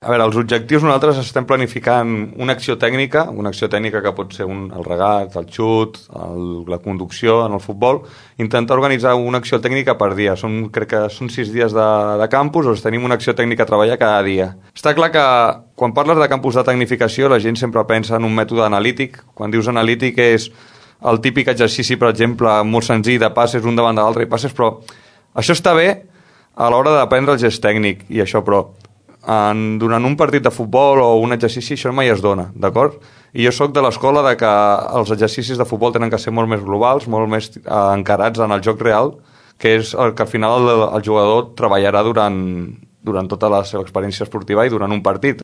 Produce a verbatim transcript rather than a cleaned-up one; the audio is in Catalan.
A veure, els objectius nosaltres estem planificant una acció tècnica, una acció tècnica que pot ser un, el regat, el xut, el, la conducció en el futbol, intentar organitzar una acció tècnica per dia. Són, crec que són sis dies de, de campus, on tenim una acció tècnica a treballar cada dia. Està clar que quan parles de campus de tecnificació la gent sempre pensa en un mètode analític. Quan dius analític és el típic exercici, per exemple, molt senzill de passes un davant de l'altre i passes, però això està bé a l'hora d'aprendre el gest tècnic i això, però En, durant un partit de futbol o un exercici això mai es dona, d'acord? I jo sóc de l'escola de que els exercicis de futbol tenen que ser molt més globals, molt més eh, encarats en el joc real, que és el que al final el, el jugador treballarà durant, durant tota la seva experiència esportiva i durant un partit.